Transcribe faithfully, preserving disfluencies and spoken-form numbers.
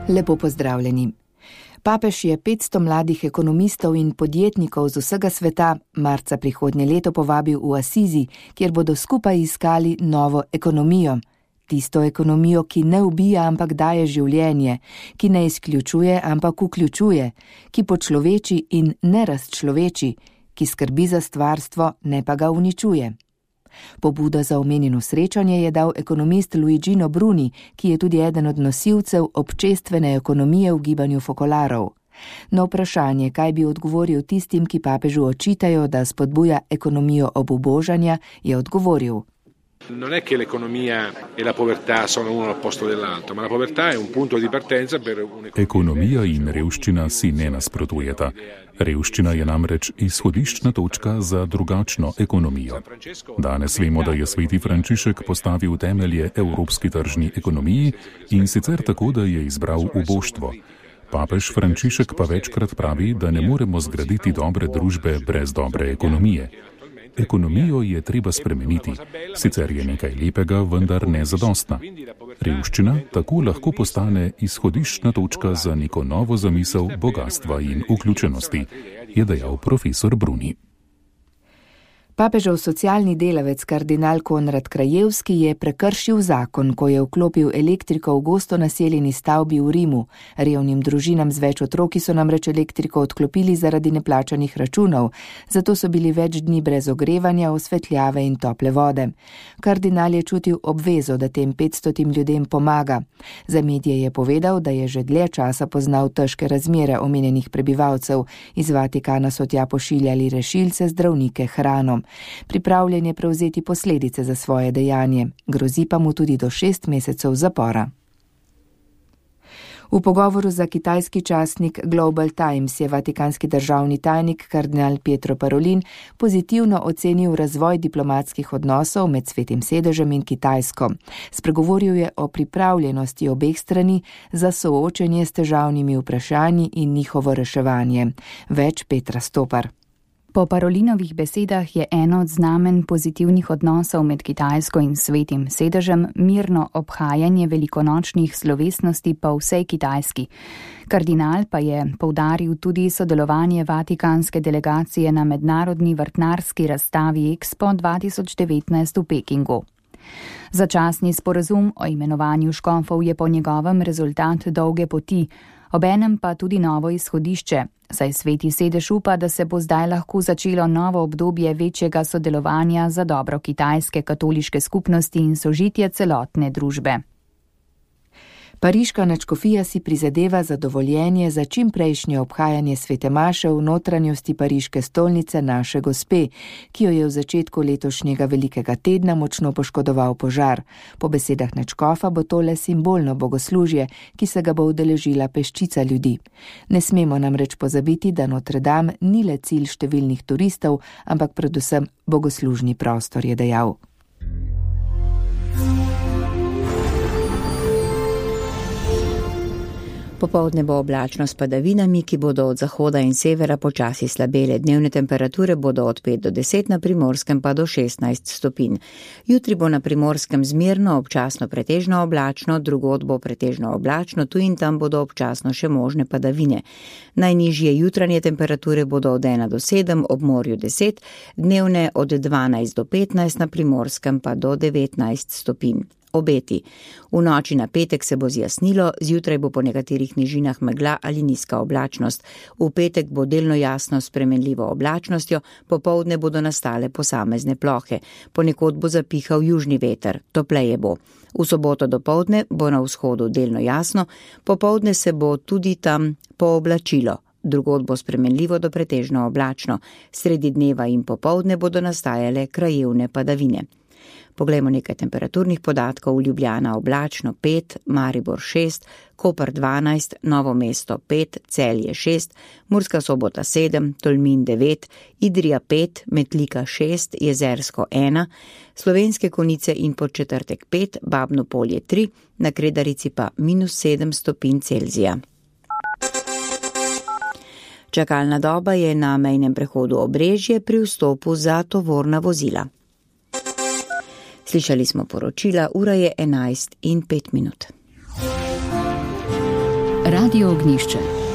Lepo pozdravljeni. Papež je petsto mladih ekonomistov in podjetnikov z vsega sveta marca prihodnje leto povabil v Asizi, kjer bodo skupaj iskali novo ekonomijo. Tisto ekonomijo, ki ne ubija, ampak daje življenje, ki ne izključuje, ampak vključuje, ki počloveči in ne razčloveči, ki skrbi za stvarstvo, ne pa ga uničuje. Pobudo za omenjeno srečanje je dal ekonomist Luigino Bruni, ki je tudi eden od nosilcev občestvene ekonomije v gibanju Fokolarov. Na vprašanje, kaj bi odgovoril tistim, ki papežu očitajo, da spodbuja ekonomijo obubožanja, je odgovoril. Non è che l'economia e la povertà sono uno all'opposto dell'altro, ma la povertà è un punto di partenza per un'economia. Ekonomija in revščina si ne nasprotujeta. Revščina je namreč izhodiščna točka za drugačno ekonomijo. Danes vemo, da je sveti Frančišek postavil temelje evropski tržni ekonomiji in sicer tako, da je izbral uboštvo. Papež Frančišek pa večkrat pravi, da ne moremo zgraditi dobre družbe brez dobre ekonomije. Ekonomijo je treba spremeniti, sicer je nekaj lepega, vendar ne zadostna. Revščina tako lahko postane izhodiščna točka za neko novo zamisel bogatstva in vključenosti, je dejal profesor Bruni. Papežev socialni delavec kardinal Konrad Krajevski je prekršil zakon, ko je vklopil elektriko v gosto naseljeni stavbi v Rimu. Revnim družinam z več otroki so namreč elektriko odklopili zaradi neplačanih računov, zato so bili več dni brez ogrevanja, osvetljave in tople vode. Kardinal je čutil obvezo, da tem petstotim ljudem pomaga. Za medije je povedal, da je že dlje časa poznal težke razmere omenjenih prebivalcev. Iz Vatikana so tja pošiljali rešilce, zdravnike, hrano. Pripravljen je prevzeti posledice za svoje dejanje, grozi pa mu tudi do šest mesecev zapora. V pogovoru za kitajski časnik Global Times je vatikanski državni tajnik kardinal Pietro Parolin pozitivno ocenil razvoj diplomatskih odnosov med Svetim sedežem in Kitajsko. Spregovoril je o pripravljenosti obeh strani za soočenje s težavnimi vprašanji in njihovo reševanje. Več Petra Stopar. Po Parolinovih besedah je eno od znamen pozitivnih odnosov med Kitajsko in Svetim sedežem mirno obhajanje velikonočnih slovesnosti po vsej Kitajski. Kardinal pa je poudaril tudi sodelovanje vatikanske delegacije na mednarodni vrtnarski razstavi Expo dva tisoč devetnajst v Pekingu. Začasni sporazum o imenovanju škofov je po njegovem rezultat dolge poti, obenem pa tudi novo izhodišče, saj Sveti sedež upa, da se bo zdaj lahko začelo novo obdobje večjega sodelovanja za dobro kitajske katoliške skupnosti in sožitje celotne družbe. Pariška nadškofija si prizadeva za dovoljenje za čimprejšnje obhajanje svete maše v notranjosti pariške stolnice Naše Gospe, ki jo je v začetku letošnjega velikega tedna močno poškodoval požar. Po besedah nadškofa bo tole simbolno bogoslužje, ki se ga bo udeležila peščica ljudi. Ne smemo namreč pozabiti, da Notre Dame ni le cilj številnih turistov, ampak predvsem bogoslužni prostor, je dejal. Popoldne bo oblačno s padavinami, ki bodo od zahoda in severa počasi slabele. Dnevne temperature bodo od pet do deset, na Primorskem pa do šestnajst stopinj. Jutri bo na Primorskem zmerno, občasno pretežno oblačno, drugod bo pretežno oblačno, tu in tam bodo občasno še možne padavine. Najnižje jutranje temperature bodo od ena do sedem, ob morju deset, dnevne od dvanajst do petnajst, na Primorskem pa do devetnajst stopinj. Obeti. V noči na petek se bo zjasnilo, zjutraj bo po nekaterih nižinah megla ali nizka oblačnost. V petek bo delno jasno s spremenljivo oblačnostjo, popoldne bodo nastale posamezne plohe. Ponekod bo zapihal južni veter, topleje bo. V soboto dopoldne bo na vzhodu delno jasno, popoldne se bo tudi tam pooblačilo. Drugod bo spremenljivo do pretežno oblačno. Sredi dneva in popoldne bodo nastajale krajevne padavine. Poglejmo nekaj temperaturnih podatkov. Ljubljana oblačno pet, Maribor šest, Koper dvanajst, Novo mesto pet, Celje šest, Murska Sobota sedem, Tolmin devet, Idrija pet, Metlika šest, Jezersko ena, Slovenske Konjice in Podčetrtek pet, Babno Polje tri, na Kredarici pa minus sedem stopinj Celzija. Čakalna doba je na mejnem prehodu Obrežje pri vstopu za tovorna vozila. Slišali smo poročila, ura je enajst in pet minut. Radio Ognišče.